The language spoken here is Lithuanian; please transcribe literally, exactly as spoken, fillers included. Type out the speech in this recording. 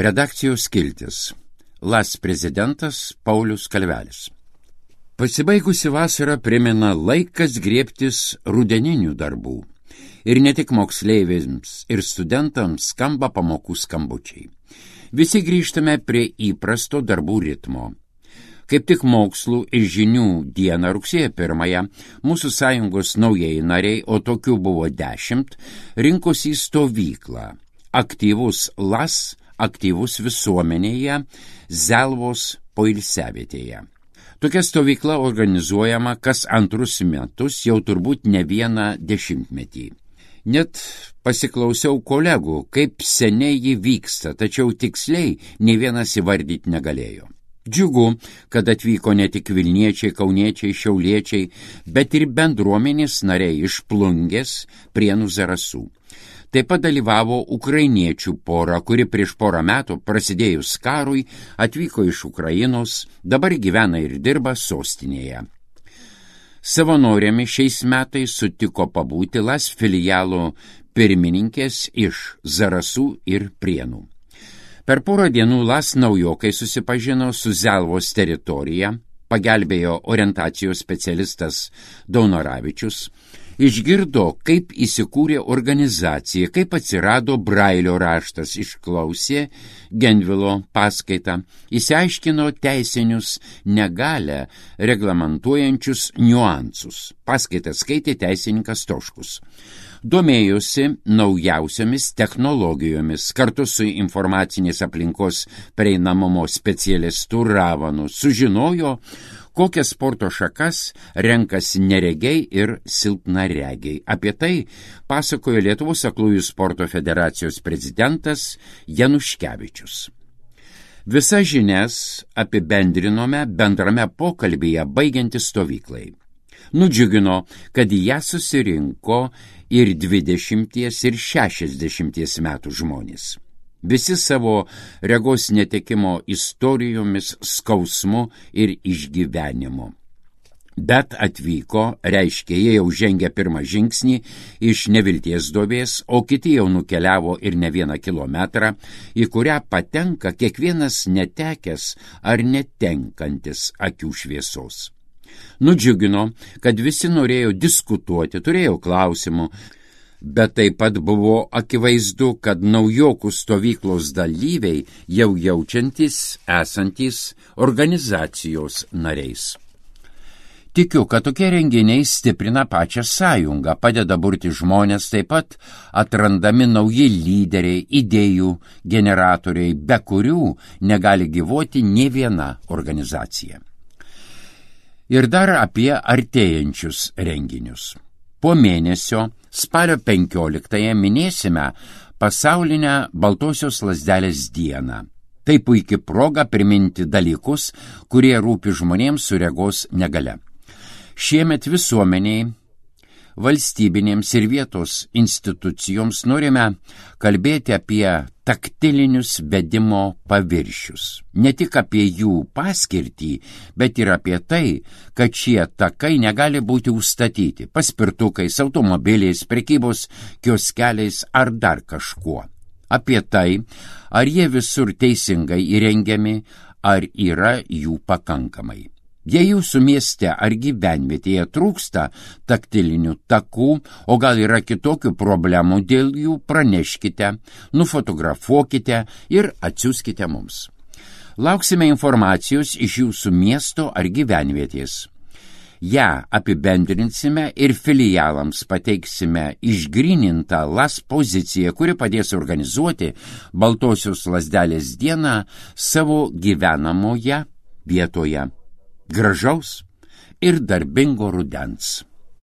Redakcijos skiltis. Las prezidentas Paulius Kalvelis. Pasibaigusi vasara primena laikas griebtis rudeninių darbų. Ir ne tik moksleiviams ir studentams skamba pamokų skambučiai. Visi grįžtame prie įprasto darbų ritmo. Kaip tik mokslų ir žinių dieną rugsėjo pirmąją mūsų sąjungos naujieji nariai, o tokių buvo dešimt, rinkosi į stovyklą. Aktyvus Las, aktyvus visuomenėje, Zelvos poilsiavietėje. Tokia stovykla organizuojama kas antrus metus, jau turbūt ne vieną dešimtmetį. Net pasiklausiau kolegų, kaip seniai ji vyksta, tačiau tiksliai nei vienas įvardyti negalėjo. Džiugu, kad atvyko ne tik Vilniečiai, Kauniečiai, Šiauliečiai, bet ir bendruomenės nariai iš Plungės, Prienų, Zarasų. Taip pat dalyvavo ukrainiečių pora, kuri prieš porą metų prasidėjus karui atvyko iš Ukrainos, dabar gyvena ir dirba sostinėje. Savanorėmi šiais metais sutiko pabūti Las filialo pirmininkės iš Zarasų ir Prienų. Per porą dienų Las naujokai susipažino su Zelvos teritorija, pagelbėjo orientacijos specialistas Daunoravičius, išgirdo, kaip įsikūrė organizacija, kaip atsirado Brailio raštas, išklausė Genvilo paskaitą, įsiaiškino teisinius negalią reglamentuojančius niuansus. Paskaitą skaitė teisininkas Toškus. Domėjosi naujausiomis technologijomis, kartu su informacinės aplinkos prieinamumo specialistu Ravanu sužinojo, kokias sporto šakas renkasi neregiai ir silpnaregiai. Apie tai pasakojo Lietuvos aklųjų sporto federacijos prezidentas Januškevičius. Visas žinias apibendrinome bendrame pokalbyje baigiantis stovyklai. Nudžiugino, kad į ją susirinko ir dvidešimties ir šešiasdešimties metų žmonės. Visi savo regos netekimo istorijomis, skausmu ir išgyvenimu. Bet atvyko, reiškia, jie jau žengė pirmą žingsnį iš nevilties duobės, o kiti jau nukeliavo ir ne vieną kilometrą, į kurią patenka kiekvienas netekęs ar netenkantis akių šviesos. Nudžiugino, kad visi norėjo diskutuoti, turėjo klausimų, bet taip pat buvo akivaizdu, kad naujokų stovyklos dalyviai jau jaučiantys esantys organizacijos nariais. Tikiu, kad tokie renginiai stiprina pačią sąjungą, padeda burti žmonės, taip pat atrandami nauji lyderiai, idėjų generatoriai, be kurių negali gyvuoti nė viena organizacija. Ir dar apie artėjančius renginius. Po mėnesio, spalio penkioliktąją, minėsime pasaulinę Baltosios lazdelės dieną. Tai puikia proga priminti dalykus, kurie rūpi žmonėms su regos negalia. Šiemet visuomeniai, valstybinėms ir vietos institucijoms norime kalbėti apie taktilinius vedimo paviršius. Ne tik apie jų paskirtį, bet ir apie tai, kad šie takai negali būti užstatyti paspirtukais, automobiliais, prekybos kioskeliais ar dar kažkuo. Apie tai, ar jie visur teisingai įrengiami, ar yra jų pakankamai. Jei jūsų mieste ar gyvenvietėje trūksta taktilinių takų, o gal yra kitokių problemų dėl jų, praneškite, nufotografuokite ir atsiųskite mums. Lauksime informacijos iš jūsų miesto ar gyvenvietės. Ja apibendrinsime ir filialams pateiksime išgrynintą Las poziciją, kuri padės organizuoti Baltosios lazdelės dieną savo gyvenamoje vietoje. Gražaus ir darbingo rudens.